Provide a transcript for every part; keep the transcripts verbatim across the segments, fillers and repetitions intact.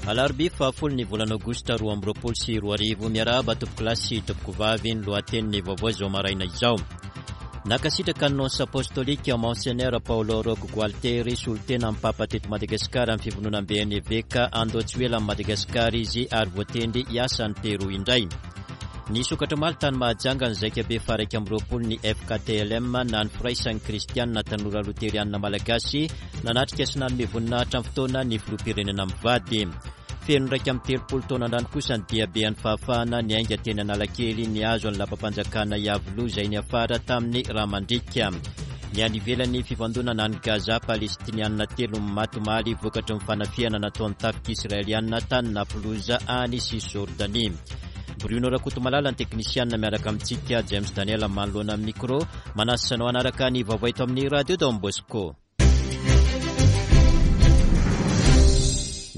Alarobia fahafolo ny volana aogositra roa amby roapolo sy roa arivo. Miarahaba tompokolahy sy tompokovavy. Ny lohatenin'ny vaovao izao maraina izao: nankasitraka ny nonce apostolique Monseigneur Paolo Rocco Gualtieri, solontena amin'ny Papa teto Madagasikara, amin'ny fivondronamben'ny eveka. Handao tsy ho ela amin'i Madagasikara izy ary voatendry hiasa any Pérou indray. Nisokatra omaly tany Mahajanga ny zaikabe faha-iraika amby roapolo ny F K T L M na ny Firaisan'ny Kristianina Tanora Loterianina Malagasy. Nanatrika sy nanome voninahitra amin'ny fotoana ny filoham-pirenena mivady. Feno iraika amby telopolo taona androany kosa ny diaben'ny fahafahana niainga teny Analakely nihazo ny lapam-panjakana Iavoloha, izay niafara tamin'ny rà mandriaka. Ny any ivelany, fifandonana any Gaza, Palestinianina telo maty omaly vokatry ny fanafihana nataon'ny tafika israelianina tany Naplouse any Cisjordanie. Bruno Rakotomalala ny teknisianina miaraka amintsika, James Daniel manoloana amin'ny micro. Manasa anao hanaraka ny vaovao eto amin'ny Radio Don Bosco.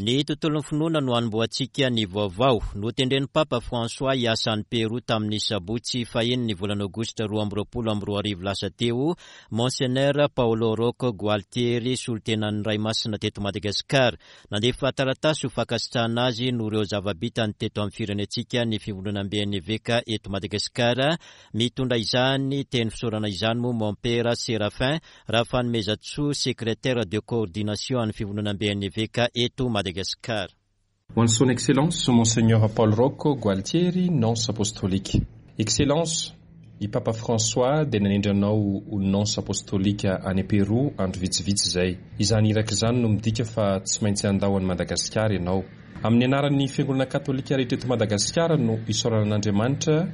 Ny tontolon'ny finoana no anombohantsika ny vaovao. Notendren'ny Papa François hiasa any Pérou tamin'ny sabotsy fahiny ny volana aogositra roa amby roapolo amby roa arivo lasa teo Monseigneur Paolo Rocco Gualtieri, solontenan'ny Ray Masina teto Madagasikara. Nandefa taratasy ho fankasitrahana azy noho ireo zava-bitany teto amin'ny firenentsika ny fivondronamben'ny eveka eto Madagasikara. Mitondra izany teny fisaorana izany moa Mompera Séraphin Raha Fanomezantsoa, secrétaire de coordination an'ny fivondronamben'ny eveka eto Madagasikara. Ho an'ny Son Excellence Monseigneur Paolo Rocco Gualtieri, nonce apostolique. Excellence, i Papa François dia nanendry anao ho nonce apostolique any Pérou andro vitsivitsy izay. Izany iraka izany no midika fa tsy maintsy handao an'i Madagasikara ianao. Amin'ny anaran'ny Fiangonana katolika rehetra eto Madagasikara no isaorana an'Andriamanitra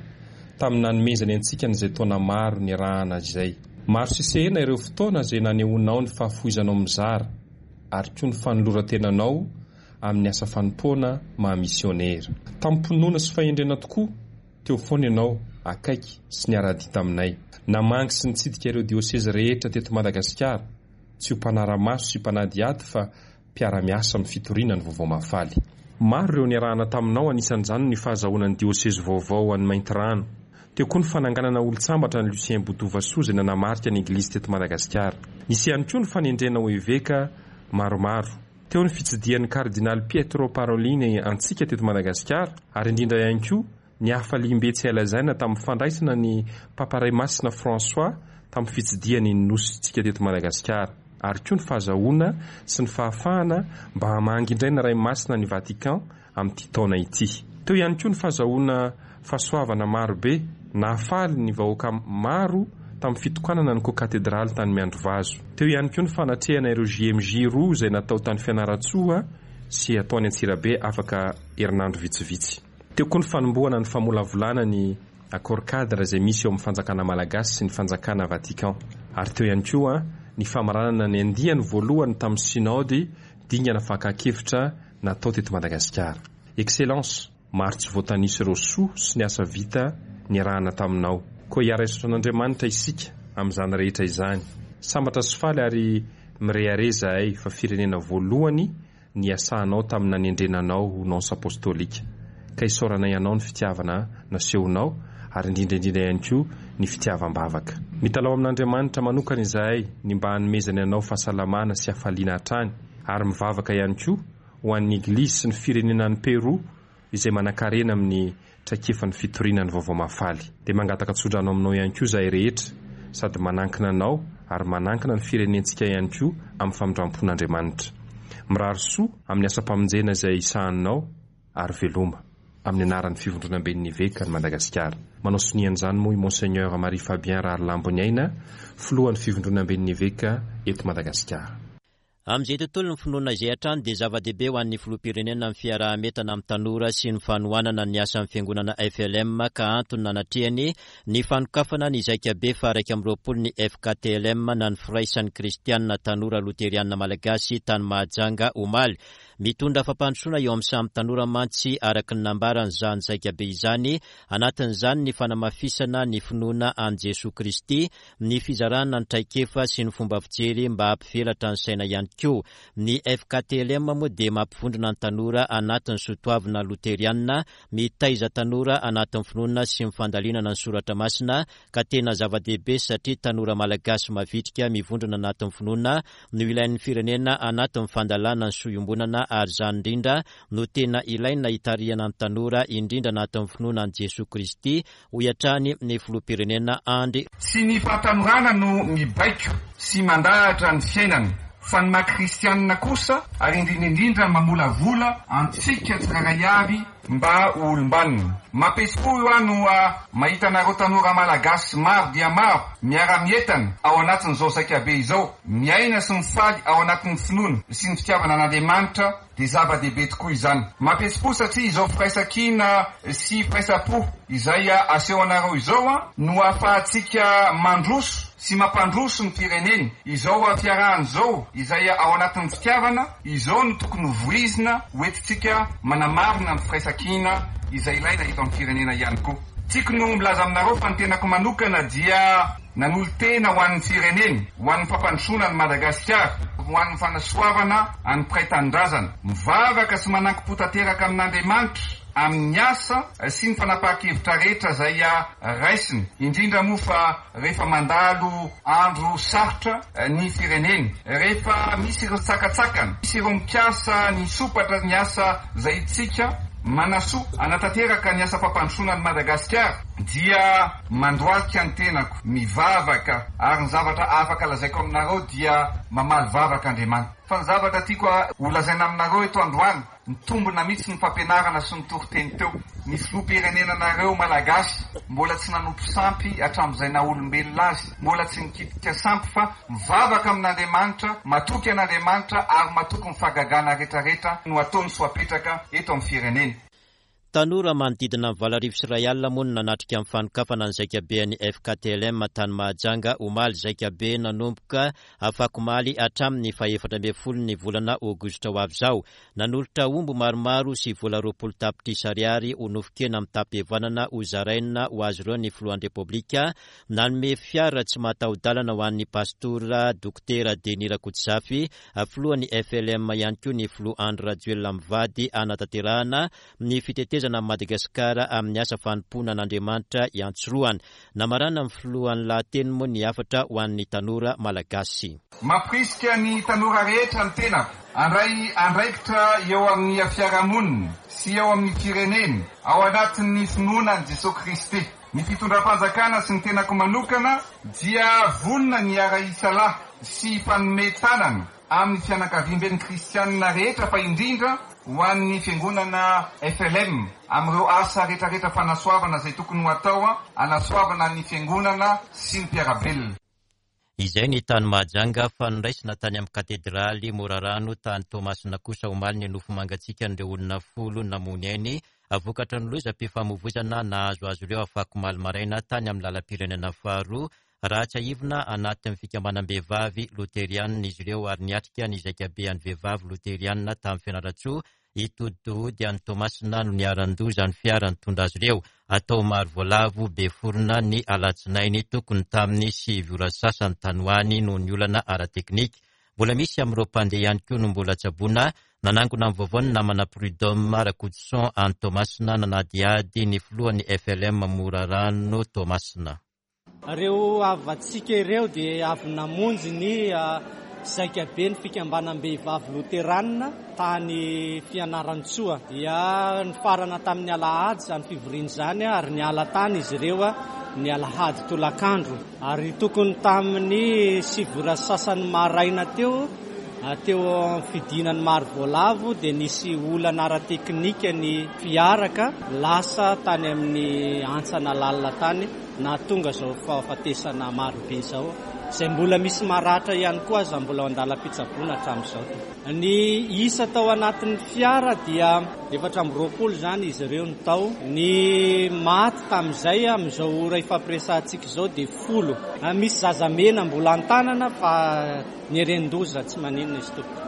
tamin'ny nanomezany antsika an'izay taona maro niarahana izay. Maro sisehena ireo fotoana izay nanehoanao ny fahafoizanao mizara ary koa ny fanoloran-tenanao amin'ny asa fanompoana maha misionera. Tamin'ny sy fahendrena tokoa teo foana ianao, akaiky sy niara-dia taminay. Namangy sy nitsidika ireo diosezy rehetra teto Madagasikara, tsy ho mpanara-maso sy mpanadihady fa mpiara-miasa amin'ny fitoriana ny vaovao mahafaly. Maro ireo niarahana taminao, anisan'izany ny fahazahoana ny diosezy vaovao any Maintirano. Teo koa ny fananganana olon-tsambatra ny Lucien Botovasoa izay nanamarika ny eglizy teto Madagasikara. Nisy ihany koa ny fanendrena ho eveka maromaro. Teo ny fitsidihan'ny kardinaly Pietro Parolin antsika teto Madagasikara, ary indrindra ihany koa ny hafaliam-be tsy hay lazaina tamin'ny fandraisana ny Papa Ray Masina François tamin'ny fitsidihany ny nosintsika teto Madagasikara, ary koa ny fahazahoana sy ny fahafahana mba hamangy indray ny Ray Masina ny Vatican amin'ity taona ity. Teo ihany koa ny fahazahoana fahasoavana marobe nahafaly ny vahoaka maro tamin'ny fitokanana ny kokatedraly tany Miandrivazo. Teo ihany koa ny fanatrehana ireo J M J roa izay natao tany Fianarantsoa sy atao any Antsirabe afaka herinandro vitsivitsy. Teo koa ny fanombohana ny famolavolana ny accord cadre izay misy eo amin'ny fanjakana malagasy sy ny fanjakana Vatican, ary teo ihany koa ny famaranana ny andiany voalohany tamin'ny synode, dingana fakan-kevitra natao teto Madagasikara. Excellence, maro tsy voatanisa ireo soa sy ny asa vita niarahana taminao, koa hiara-hisaotra an'Andriamanitra isika amin'izany rehetra izany. Sambatra sy faly ary mirehareha izahay fa firenena voalohany ny asanao tamin'ny nanendrenanao ho nonce apostolique, ka isaoranay anao ny fitiavana nasehonao ary indrindra indrindra ihany koa ny fitiavam-bavaka. Mitalaho amin'Andriamanitra manokana izahay ny mba hanomezany anao fahasalamana sy hafaliana hatrany, ary mivavaka ihany koa ho an'ny eglizy sy ny firenena ny Pérou izay manan-karena amin'ny traikefa ny fitoriana ny vaovao mahafaly. Dia mangataka tsodrano aminao ihany koa izahay rehetra, sady manankina anao ary manankina ny firenentsika ihany koa amin'ny famindram-pon'Andriamanitra. Mirary soa amin'ny asam-pamonjena izay sahaninao ary veloma. Amin'ny anaran'ny fivondronamben'ny eveka ny Madagasikara, manao sonian'izany moa i Monseigneur Marie Fabien Raharlamboniaina, filohan'ny fivondronamben'ny eveka eto Madagasikara. Amin'izay tontolo ny finoana izay hatrany dia zava-dehibe ho an'ny filoham-pirenena amin'ny fiaraha-mientana amin'ny tanora sy ny fanohanana ny asan'ny fiangonana F L M, ka antony nanatrehany ny fanokafana ny zaikabe faha-iraika amby roapolo ny F K T L M na ny Firaisan'ny Kristianina Tanora Loterianina Malagasy tany Mahajanga omaly. Mitondra fampandrosoana eo amin'ny samy tanora mantsy, araka ny nambarany, izany zaikabe izany. Anatin'izany ny fanamafisana ny finoana an'i Jesoa Kristy, ny fizarana ny traikefa sy ny fomba fijery mba hampivelatra ny saina ihany koa. Ny F K T L M moa dia mampivondrona ny tanora anatin'ny soatoavina loterianina, mitaiza tanora anatin'ny finoana sy ny fandalinana ny soratra masina, ka tena zava-dehibe satria tanora malagasy mavitrika mivondrona anatin'ny finoana no ilain'ny firenena anatin'ny fandalana ny soa iombonana. ary izany indrindra no tena ilaina hitarihana ny tanora indrindra anatin'ny finoana an'i Jesoa Kristy, hoy hatrany ny filoham-pirenena Andry. Tsy ny fahatanorana no mibaiko sy mandahatra ny fiainana, fa ny maha kristianina kosa ary indrindra indrindra mamolavola antsika tsirairay avy mba ho olom-banona. Mampihetsi-po aho no mahita anareo tanora malagasy maro dia maro miara-mientana ao anatin'izao zaikabe izao, miaina sy mifaly ao anatin'ny finoana sy ny fitiavana an'Andriamanitra, dia zava-dehibe tokoa izany. Mampihetsi-po satria izao firaisankina sy firaisam-po izay aseho anareo izao no ahafahantsika mandroso sy mampandroso ny firenena. Izao fiarahana izao izay ao anatin'ny fitiavana izao no tokony ho voizina hoentintsika manamarina ny firaisankina izay ilaina eto amin'ny firenena ihany koa. Tiako no milaza aminareo fa ny tenako manokana dia nanolo-tena ho an'ny firenena, ho an'ny fampandrosoana ny Madagasikara, ho an'ny fanasoavana an'ny mpiray tanindrazana. Mivavaka sy manankim-po tanteraka amin'Andriamanitra amin'ny asa sy ny fanapahan-kevitra rehetra izay raisina, indrindra moa fa rehefa mandalo andro sarotra ny firenena, rehefa misy ireo tsakatsakana, misy ireo mikasa ny sopatra ny asa izay tsika manasoa anatanteraka ny asa fampandrosoana ny Madagasikara, dia mandohalika ny tenako, mivavaka, ary ny zavatra afaka lazaiko aminareo dia mamaly vavaka Andriamanitra. Fa ny zavatra tiako ho lazaina aminareo eto androany, nitombina mihitsy ny fampianarana sy ny toriteny teo. Ny filoham-pirenenanareo malagasy mbola tsy nanompo sampy hatramin'izay naha olombelona azy, mbola tsy nikitika sampy fa mivavaka amin'Andriamanitra, matoky an'Andriamanitra ary matoky ny fahagagana rehetrarehetra no ataony sy ho apetraka eto amin'ny firenena. Tanora manodidina ny valo arivo sy iray alina moa no nanatrika ny fanokafana ny zaikabean'ny F K T L M tany Mahajanga omaly. Zaikabe nanomboka afakomaly hatramin'ny fahefatra ambin'ny folo ny volana aogositra ho avy izao. Nanolotra omby maromaro sy vola roapolo tapitrisa ariary ho nofon-kena mitam-pihavanana ho zaraina ho azy ireo ny filohan'ny Repoblika. Nanome fiara tsy mahataho-dalana ho an'ny pastora Dokotera Denis Rakotozafy, filohan'ny F L M ihany koa ny filoha Andry Rajoelina mivady hanatanterahana ny fitetezana Madagasikara amin'ny asa fanompoana an'Andriamanitra iantsorohana. Namarana ny filohan'ny lahateny moa ny hafatra ho an'ny tanora malagasy. Mampirisika ny tanora rehetra ny tenako handray andraikitra eo amin'ny fiarahamonina sy eo amin'ny firenena ao anatin'ny finoana an'i Jesoa Kristy. Ny fitondram-panjakana sy ny tenako manokana dia vonona ny hiara-hisalahy sy hifanome tanana amin'ny fianakaviamben'ny kristianina rehetra, fa indrindra ho an'ny fiangonana F L M amin'ireo asa rehetrarehetra fanasoavana izay tokony ho atao hanasoavana ny fiangonana sy ny mpiara-belona. Izay ny tany Mahajanga, fa noraisina tany amin'ny katedraly Morarano tany Toamasina kosa omaly ny nofo mangatsiakan'ireo olona folo namoy ainy vokatra ny lozam-pifamoivoizana nahazo azy ireo afakomaly maraina tany amin'ny lalam-pirenena faharoa. Raha tsiahivina, anatin'ny fikambanam-behivavy loterianina izy ireo ary niatrika ny zaikabean'ny vehivavy loterianina tamin'ny Fianarantsoa hitoditody any Toamasina no niharan-doza ny fiara nitondra azy ireo. Atao maro voalavo be forona ny alatsinainy tokony tamin'ny sivy ora sasany tany ho any noho ny olana ara-teknika. Mbola misy amin'ireo mpandeha ihany koa no mbola tsaboina. Nanangona ny vaovao ny namana Prud'homme Rakotoson any Toamasina nanadihady ny filohan'ny F L M Morarano Toamasina. Ireo havantsika ireo dia avy namonjy ny zaikabe ny fikambanam-behivavy loteranina tany Fianarantsoa. Dia nifarana tamin'ny alahady izany fivoriana izany ary niala tany izy ireo ny alahady tolakandro. Ary tokony tamin'ny sivy ora sasany maraina teo, teo amin'ny fidinan'ny maro voalavo dia nisy olana ara-teknika ny fiara ka lasa tany amin'ny antsana lalina tany, nahatonga izao fahafatesana marobe izao, izay mbola misy maratra ihany koa aza mbola ao an-dalam-pitsaboana hatramin'izao. Ny isa tao anatin'ny fiara dia efatra amby roapolo izany izy ireo no tao. Ny maty tamin'izay amin'izao ora ifampiresahantsika izao dia folo. Misy zazamena mbola an-tanana fa ny eren-doza tsy maninona izy tompoko.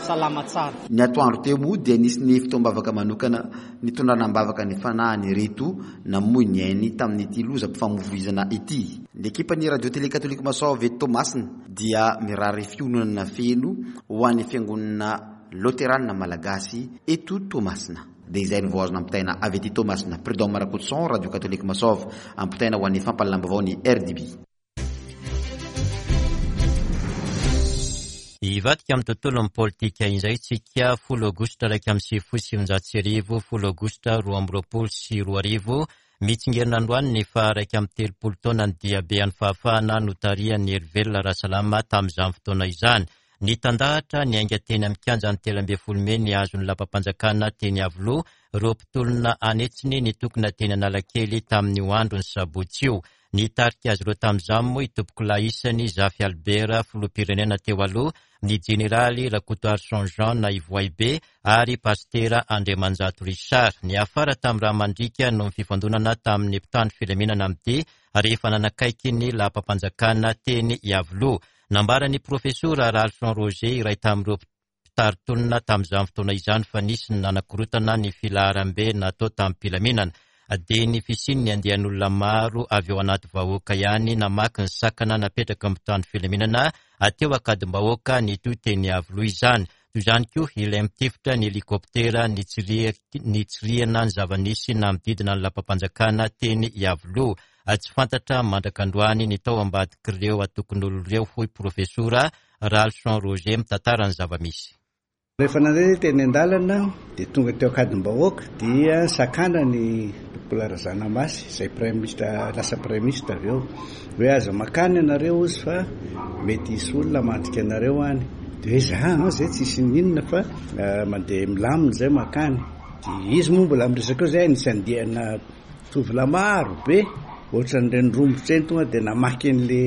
Salama tsara. Ny atoandro teo moa dia nisy ny fotoam-bavaka manokana nitondrana am-bavaka ny fanahiny ireto namoy ny ainy tamin'ity lozam-pifamoivoizana ity. Ny ekipan'ny Radio Télé Catholique Masoava eto Toamasina dia mirary fiononana feno ho an'ny fiangonana loterana malagasy eto Toamasina. Dia izay no vao azo nampitaina avy aty Toamasina. Prud'homme Rakotoson, Radio Catholique Masoava, ampitaina ho an'ny fampahalalam-baovao ny R D B. Hivadika amin'ny tontolon'ny politika indray tsika. Folo aogositra iraika amby sivifolo sy sivinjato sy arivo, folo aogositra roa amby roapolo sy roa arivo, mitsingerina androany ny faha iraika amby telopolo taona ny diabe ny fahafahana notarihan'ny Herivelona Rasalama tamin'izany fotoana izany. Ny tandahatra ny ainga teny amin'ny kianjan'ny telo ambin'ny folo mey ny azon'ny lapam-panjakana teny Iavoloha, ireo mpitolona anetsiny nitokona teny Analakely tamin'io andro ny sabotsy io. Nitarika azy ireo tamin'izany moa i Tompokolahy isany Zafy Albert, filoham-pirenena teo aloha, ny jeneraly Rakotoarison Jean na Ivohibe ary pastera Andriamanjato Richard. Niafara tamin'ny rà mandriaka noho ny fifandonana tamin'ny mpitandro filaminana amin'ny dia rehefa nanakaiky ny lapam-panjakana teny Iavoloha. Nambaran'ny profesora Ralson Roger, iray tamin'ireo mpitari-tolona tamin'izany fotoana izany, fa nisy ny nanakorotana ny filaharambe natao tamin'ny-pilaminana. Dia ny fisian'ny andian'olona maro avy eo anaty vahoaka ihany namaky ny sakana napetraka mpitandro filaminana teo Ankadimbahoaka nitohy teny Iavoloha izany. Toy izany koa ilay mitifitra ny helikoptera nitsirihana ny zava-nisy nanodidina ny lapam-panjakana teny Iavoloha. Tsy fantatra mandrak'androany ny tao ambadik'ireo antokon'olona ireo, hoy profesora Ralson Roger mitantara ny zava-misy. Rehefa nandeha teny an-dalana dia tonga teo Ankadimbahoaka dia sakana ny Tompokolahy Razanamasy izay praiminisitra, lasa praiminisitra avy eo, hoe aza makany ianareo izy fa mety hisy olona mandrika anareo any. Dia hoe za zay tsisy ninona fa mandeha milamina zay makany. Dia izy moa mbola miresaka eo zay nisy andiana tovolahy maro be ohatran'ireny rombotra eny tonga dia namaky an'le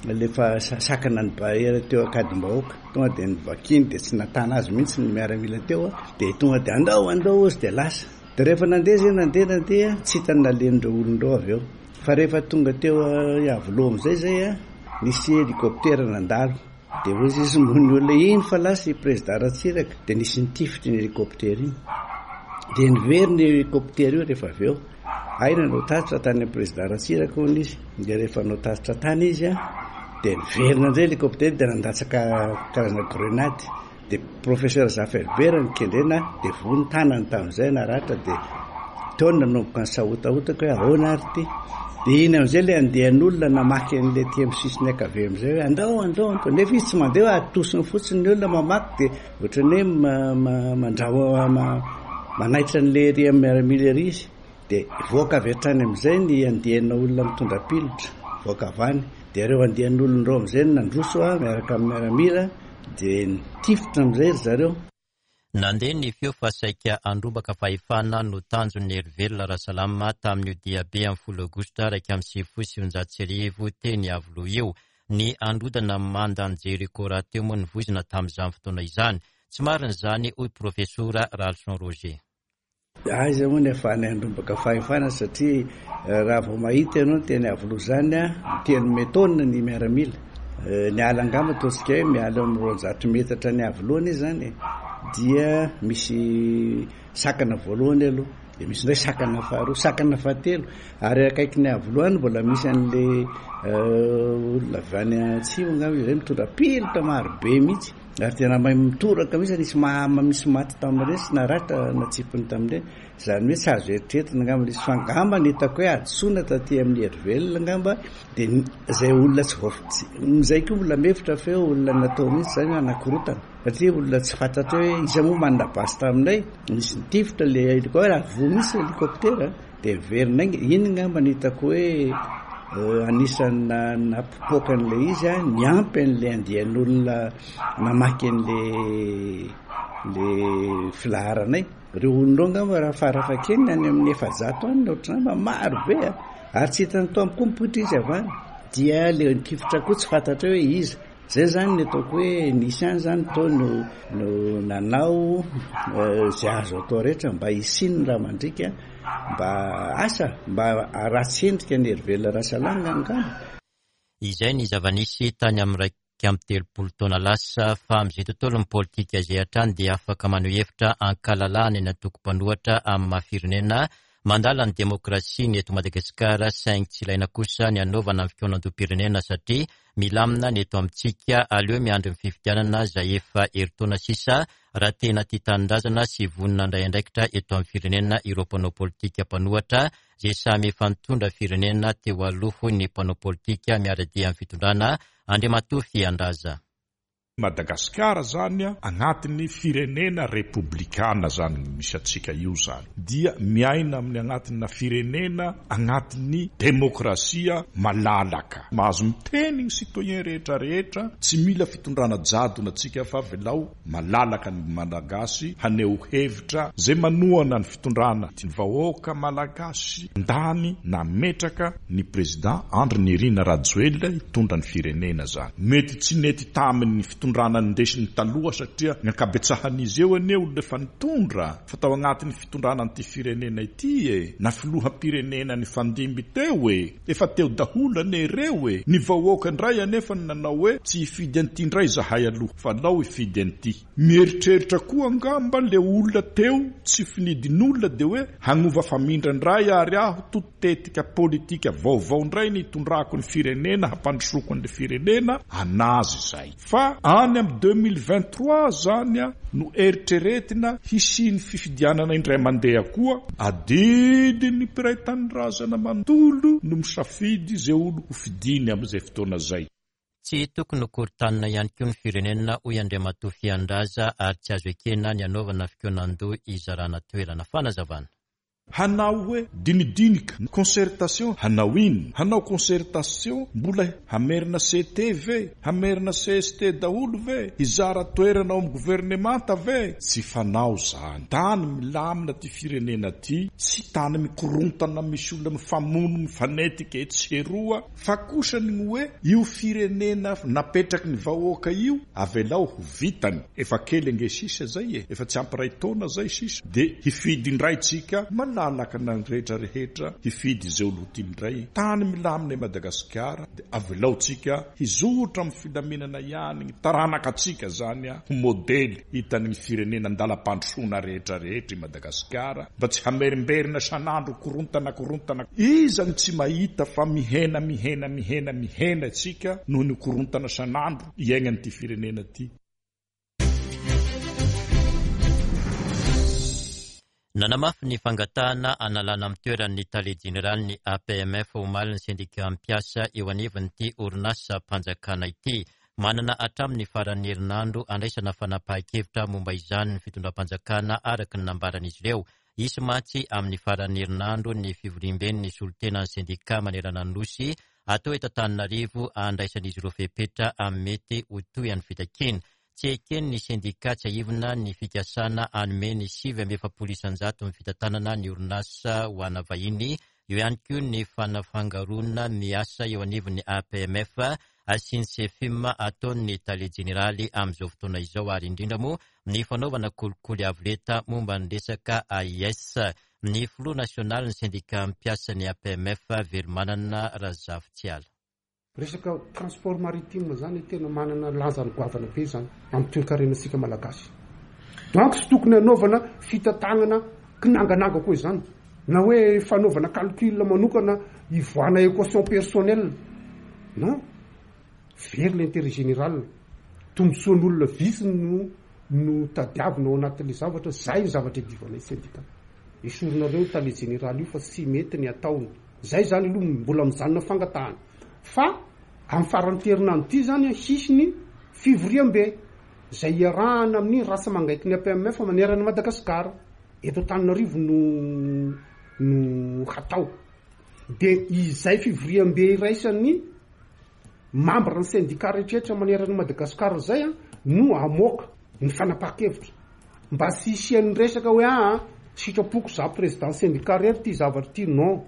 le fa sakana ny barrière teo Ankadimbahoaka, tonga dia nivakiny dia tsy natana azy mihitsy ny miaramila teo, dia tonga dia andao andao izy dia lasa. Dia rehefa nandeha zay nandeha nandeha tsy hita ny nalehan'ireo olona ireo avy eo. Fa rehefa tonga teo Iavoloha amin'izay zay nisy hélicoptère nandalo. Dia hoy izy moa ny olona iny fa lasa i président Ratsiraka, dia nisy nitifitra iny hélicoptère iny. Dia niverina io hélicoptère io rehefa avy eo. Ay nanao tatitra tany amin'ny président Ratsiraka hono izy. Dia rehefa nanao tatitra tany izy dia niverina indray hélicoptère dia nandatsaka karazana grenade. Dia professeur Zafy Albert nikendrena dia voa ny tanany tamin'izay naratra, dia teo no nanomboka ny sahotahotaka hoe ahoana ary ity. Dia iny amin'izay ilay andian'olona namaky an'ilay aty amin'ny sisiny ankavia amin'izay hoe andao andao andao, nefa izy tsy mandeha hoe atosiny fotsiny ny olona mamaky, dia ohatran'ny hoe mandrao manaitra an'ilay ery amin'ny miaramila ery izy. Dia voaka avy hatrany amin'izay ny andiana olona mitondra pilotra voaka avy any. Dia ireo andian'olona ireo amin'izay no nandroso miaraka amin'ny miaramila dia nitifitra amin'izay ry zareo. Nandeha ny feo fa saika handrombaka fahefana no tanjon'ny Herivelona Rasalama tamin'io diabe amin'ny folo aogositra iraika amby sivifolo sy sivinjato sy arivo teny Iavoloha io. Ny handrodana mandan'i Jeriko rahateo moa nivoizina tamin'izany fotoana izany. Tsy marina izany, hoy profesora Ralson Roger. Aiza moa ny ahafahana handrombaka fahefana, satria raha vao mahita ianao ny teny Iavoloha izany, miteny metaona ny miaramila. Ny ala angamba ataontsika hoe miala eo amin'ny roanjato metatra ny Iavoloha izy izany, dia misy sakana voalohany aloha, dia misy indray sakana faharoa, sakana fahatelo, ary akaiky ny Iavoloha any mbola misy an'le olona avy any atsimo angamba izay mitondra pilotra maro be mihitsy, ary tena mahay mitoraka mihitsy, nisy ma- misy maty tamin'ireny sy naratra natsipiny tamin'ireny. Izany hoe tsy azo eritreretina angamba nisy, fa angamba ny hitako hoe hadisoana taty amin'ny Herivelona angamba dia izay olona tsy voa- izay koa mbola mihevitra fa hoe olona natao mihitsy izany hanakorotana, satria olona tsy fantatra hoe iza moa manana basy taminay, nisy nitifitra le hélicoptère, ary voa mihitsy hélicoptère, dia miverina ainga. Iny angamba ny hitako hoe anisan'ny nampipoaka an'ilay izy, niampy an'ilay andian'olona namaky an'le le filaharanay. Ireo olona ireo angamba raha farafahakeliny any amin'ny efajato any ohatran'izany, fa maro be ary tsy hitany tao koa mipoitra izy avy any. Dia le nitifitra koa tsy fantatra hoe iza. Zay zany ny ataoko hoe nisy any zany tao no no nanao izay azo atao rehetra mba hisian'ny rà mandriaka, mba asa mba ratsy endrika ny Herivelona Rasalama angamba. Izay ny zava-nisy tany amin'ny iraika amby telopolo taona lasa, fa amin'izay tontolon'ny politika izay hatrany dia afaka maneho hevitra ankalalahana ny antoko mpanohitra amin'ny maha firenena mandala ny demokrasia ny eto Madagasikara, saingy tsy ilaina kosa ny hanaovana ny fikaonandoham-pirenena satria milamina ny eto amintsika. Aleo miandry ny fifidianana izay efa herintaona sisa raha tena tia tanindrazana sy vonona handray andraikitra eto amin'ny firenena ireo mpanao politika mpanohitra izay samy efa nitondra firenena teo aloha, hoy ny mpanao politika miara-dia amin'ny fitondrana Andriamatoa Fiandraza. Madagasikara zany a agnatin'ny firenena repoblikana zany misy atsika io zany dia miaina amin'ny agnatina firenena agnatin'ny demokrasia malalaka, mahazo miteny ny citoyen rehetra rehetra, tsy mila fitondrana jadona atsika fa avelao malalaka ny Malagasy haneho hevitra zay manohana ny fitondrana. Ny vahoaka malagasy ndany nametraka ny président Andry Nirina Rajoelina hitondra ny firenena zany. Mety tsy nety tamin'ny fitondrana nindesiny taloha satria ny ankabetsahan'izy eo anie olona efa nitondra fa tao agnatin'ny fitondrana an'ity firenena ity e, na filoham-pirenena ny fandimby teo e, efa teo daholo anie ireo e. Ny vahoaka indray anefa ny nanao hoe tsy hifidy an'ity indray zahay aloha fa alao hifidy an'ity. Mieritreritra koa angamba le olona teo tsy finidin'olona de hoe hagnova famindra indray ary aho totetika politika vaovao indray ny hitondrako ny firenena, hampandrosoko an'le firenena anazy zay. Fa any amin'ny deux mille vingt-trois zany a no eritreretina hisian'ny fifidianana indray mandeha koa, adidin'ny mpiray tanindrazana manontolo no misafidy izay olo ho fidiny amin'izay fotoana zay. Tsy tokony ho korotanina ihany koa ny firenena, hoy Andriamatoa Fiandraza, ary tsy azo ekena ny hanaovana fikaonandoha izarana toerana. Fanazavana. Hanao hoe dinidinika concertation, hanao ino? Hanao concertation mbola hamerina C T ve? Hamerina C S T daholo ve? Hizara toerana ao amin'ny governemanta ve? Tsy fanao zany. Tany milamina ty firenena ty, tsy tany mikorontana misy olona mifamono mifanetika etsy eroa, fa kosa ny hoe io firenena napetraky ny vahoaka io avelao ho vitany. Efa kely ange sisa zay e, efa tsy ampy iray taona zay sisa, de hifidy indray tsika malalaka na ny rehetra rehetra hifidy izay olo tiany indray. Tany milamina i Madagasikara, de avelao tsika hizotra amin'ny filaminana ihany ny taranaka atsika zany a, ho modely hitan'ny firenena andalam-pandrosoana rehetra rehetra i Madagasikara, mba tsy hamerimberina sanandro korontana korontana. Iza no tsy mahita fa mihena mihena mihena mihena tsika noho ny korontana sanandro iainan'ity firenena ty. Nanamafy ny fangatahana analana amin'ny toeran'ny tale jeneralin'ny A P M F omaly ny sendika mpiasa eo anivon'ity orinasam-panjakana ity. Manana hatramin'ny faran'ny herinandro andraisana fanapahan-kevitra momba izany ny fitondram-panjakana araka ny nambaran'izy ireo. Hisy mantsy amin'ny faran'ny herinandro ny fivoriamben'ny solontenan'ny sendika manerana ny Nosy atao eto Antananarivo andraisan'izy ireo fepetra amin'ny mety ho tohin'ny fitakiana. Tsy ekeny ny sendika tsiahivina ny fikasana hanome ny sivy amby efapolo isan-jato ny fitantanana ny orinasa ho ana vahiny. Eo ihany koa ny fanafangaroana miasa eo anivon'ny A P M F sy ny C F I M ataon'ny tale jeneraly amin'izao fotoana izao, ary indrindra moa ny fanaovana kolikoly avo lenta momba ny resaka A I S. Ny filoha nasionaly ny sendika mpiasa ny A P M F Velomanana Razafitsiala. Resaka transport maritime zany tena manana lanjany goavana be zany amin'ny toekarenantsika malagasy. Donc tsy tokony hanaovana fitantanana kinangananga koa izany, na hoe fanaovana calcul manokana ivoahana équation personnelle. Non, very l'intérêt général. Tombontsoan'olona vitsy no no tadiavina ao anatin'ilay zavatra, zay ny zavatra idivanay syndicat. Esorinareo tale général io fa tsy mety ny ataony. Zay zany aloha mbola mijanona fangatahana. Fa amin'ny faran'ny herinandro ity zany hisy ny fivoriambe zay iarahana amin'ny rasa mangaiky ny A P M F manerana an'i Madagasikara. Eto Antananarivo no, no hatao. De izay fivoriambe iraisan'ny membre ny syndicat rehetrarehetra manerana an'i Madagasikara zay a, no hamoaka ny fanapahan-kevitra. Mba tsy hisian'ny resaka hoe, ah, sitrapoko za président syndicat rery ty zavatra ty, non.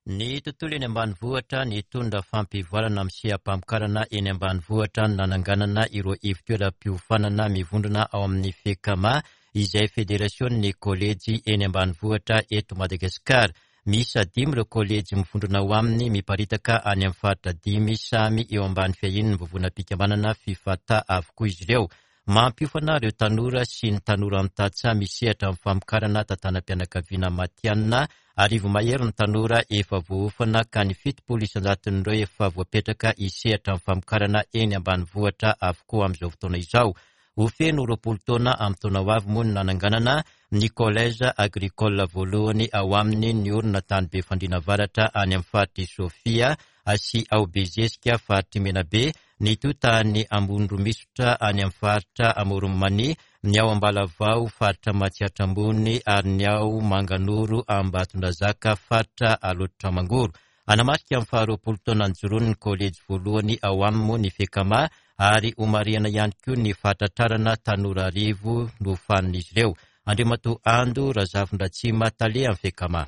Ny tontolo eny ambanivohitra nitondra fampivoarana amin'ny seha-pamokarana eny ambanivohitra no nananganana ireo ivon-toeram-piofanana mivondrona ao amin'ny FECAMA, izay federasion'ny kolejy eny ambanivohitra eto Madagasikara. Miisa dimy ireo kolejy mivondrona ao aminy miparitaka any amin'ny faritra dimy samy eo ambany fiahian'ny vovonam-pikambanana FIFATA avokoa izy ireo. Mampiofana ireo tanora sy ny tanora mitatsa misehatra amin'ny famokarana tantanam-pianakaviana matihanina. Arivo mahery ny tanora efa voaofana ka ny fitopolo isan-jaton'ireo efa voapetraka hisehatra amin'ny famokarana eny ambanivohitra avokoa amin'izao fotoana izao. Ho feno roapolo taona amin'ny taona ho avy moa no nananganana ny collège agricole voalohany ao aminy ny orina tany Befandriana Avaratra any amin'ny faritry Sofia sy ao Bezesika faritry Menabe, ny totany Ambondromisotra any amin'ny faritra Amoron'i Mania, ny ao Ambalavao faritra Matsiatra Ambony ary ny ao Manganoro Ambatondrazaka faritra Alaotra Mangoro. Anamarika amin'ny faharoapolo taona nijoroan'ny kolejy voalohany ao aminy moa ny FECAMA ary homarihana ihany koa ny fahatratrarana tanora arivo nofanin'izy ireo. Andriamatoa Ando Razafindratsima, tale amin'ny FECAMA.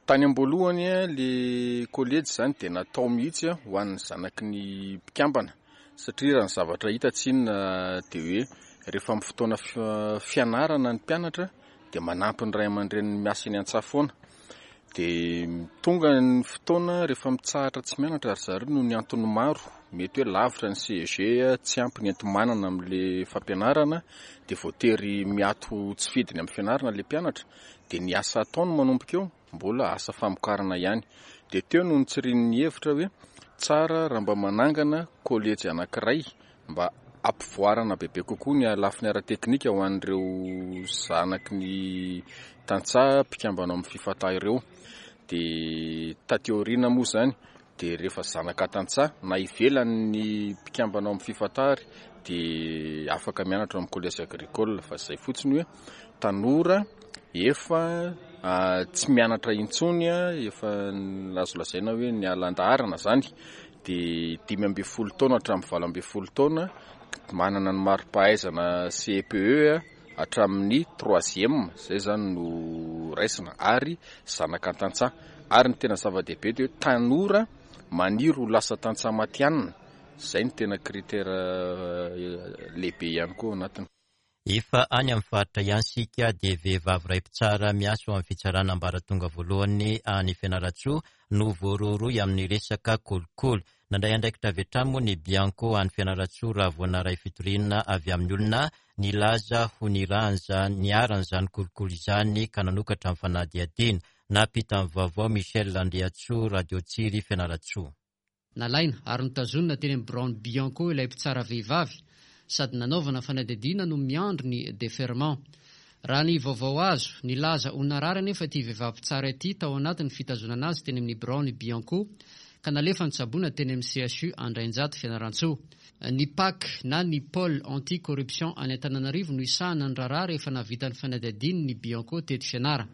Tany am-boalohany le kolejy zany dia natao mihitsy ho an'ny zanaky ny mpikambana, satria raha ny zavatra hita tsinona dia hoe rehefa amin'ny fotoana fianarana ny mpianatra dia manampy ny ray aman-dreniny miasa eny an-tsaha foana. Dia tonga ny fotoana rehefa mitsahatra tsy mianatra ry zareo noho ny antony maro, mety hoe lavitra ny C E G, tsy ampy ny enti-manana amin'le fampianarana, dia voatery miato tsy fidiny amin'ny fianarana le mpianatra, dia ny asa ataony manomboka eo mbola asa famokarana ihany. Dia teo no nitsirian'ny hevitra hoe tsara raha mba manangana kolejy anankiray mba ampivoarana bebe kokoa ny lafiny ara-teknika ho an'ireo zanaky ny tantsaha mpikambana amin'ny FIFATA ireo. Dia taty aoriana moa izany dia rehefa zanaka tantsaha na ivelan'ny mpikambana ao amin'ny FIFATA ary dia afaka mianatra ao amin'ny collège agricole, fa izay fotsiny hoe tanora efa tsy mianatra intsony, efa azo lazaina hoe niala an-daharana izany, dia dimy ambin'ny folo taona hatramin'ny valo ambin'ny folo taona, manana ny mari-pahaizana C E P E hatramin'ny troisième, izay izany no raisina, ary zanaka tantsaha. Ary ny tena zava-dehibe dia hoe tanora maniry ho lasa tantsaha matihanina, izay no tena critère lehibe ihany koa ao anatiny. Efa any amin'ny faritra ihany isika dia vehivavy iray mpitsara miasa ao amin'ny fitsarana ambaratonga voalohany any Fianarantsoa no voarohirohy amin'ny resaka kolikoly. Nandray andraikitra avy hatrany moa ny Bianco any Fianarantsoa raha vao naray fitoriana avy amin'ny olona nilaza ho niharan'izany kolikoly izany ka nanokatra ny fanadihadiana. Nampita ny vaovao Michel Andriantsoa, Radio Tsiry, Fianarantsoa. Nalaina ary notazonina teny amin'ny biraon'ny Bianco ilay mpitsara vehivavy sady nanaovana fanadihadiana no miandry ny déferment. Raha ny vaovao azo, nilaza ho narary anefa ity vehivavy mpitsara ity tao anatin'ny fitazonana azy teny amin'ny biraon'ny Bianco ka nalefa nitsaboana teny amin'ny C H U Andrainjato Fianarantsoa. Ny P A C na ny Pôle anti-corruption any Antananarivo no isahana ny raharaha rehefa nahavita ny fanadihadiany ny Bianco teto Fianara.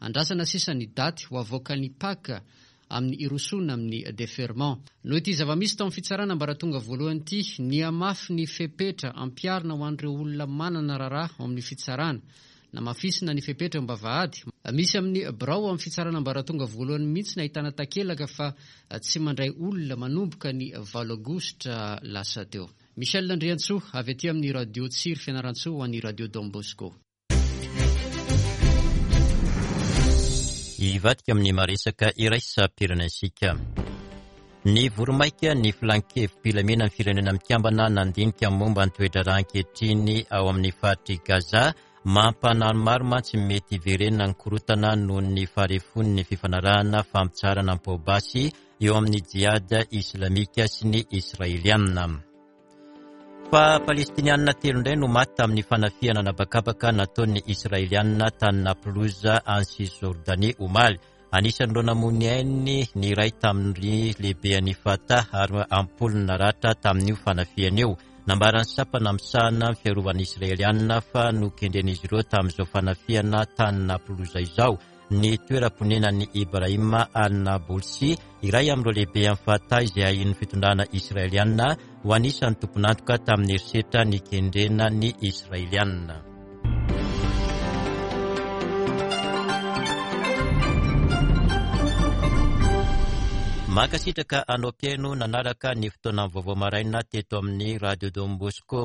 Andrasana sisa ny daty ho avoakan'ny P A C amin'ny irosoana amin'ny déferment. Noho ity zava-misy tao amin'ny fitsarana ambaratonga voalohany ity, nihamafy ny fepetra ampiharina ho an'ireo olona manana raharaha ao amin'ny fitsarana. Namafisina ny fepetra am-bavahady. Misy amin'ny birao amin'ny fitsarana ambaratonga voalohany mihitsy nahitana takelaka fa tsy mandray olona manomboka ny valo aogositra lasa teo. Michel Andriantsoa avy aty amin'ny Radio Tsiry Fianarantsoa ho an'ny Radio Don Bosco. Hivadika amin'ny maresaka iraisam-pirenentsika. Ny voromaika ny filan-kevi-pilamena ny firenena mikambana nandinika momba ny toe-draharaha ankehitriny ao amin'ny faritry Gaza. Mampanano maro mantsy mety hiverenana ny korontana noho ny faharefon'ny fifanarahana fampitsaharana am-paobasy eo amin'ny jihad islamika sy ny israeliana. Fa palestinianina telo indray no maty tamin'ny fanafihana nabakabaka nataon'ny israelianina tany Naplouse any Cisjordanie omaly. Anisan'ireo namoy ny ainy ny iray tamin'ny lehiben'ny Fatah ary ampolony naratra tamin'io fanafihana io. Nambaran'ny sampana misahana ny fiarovan'ny israelianina fa nokendren'izy ireo tamin'izao fanafihana tany Naplouse izao ny toeram-ponenan'i Ibrahim al-Naboulsi, iray amin'ireo lehibe amin'ny Fatah izay ahian'ny fitondrana israelianina ho anisan'ny tompon'antoka tamin'ny herisetra nikendrena ny israelianina. Mankasitraka anao mpihaino nanaraka ny fotoana vaovao maraina teto amin'ny Radio Don Bosco.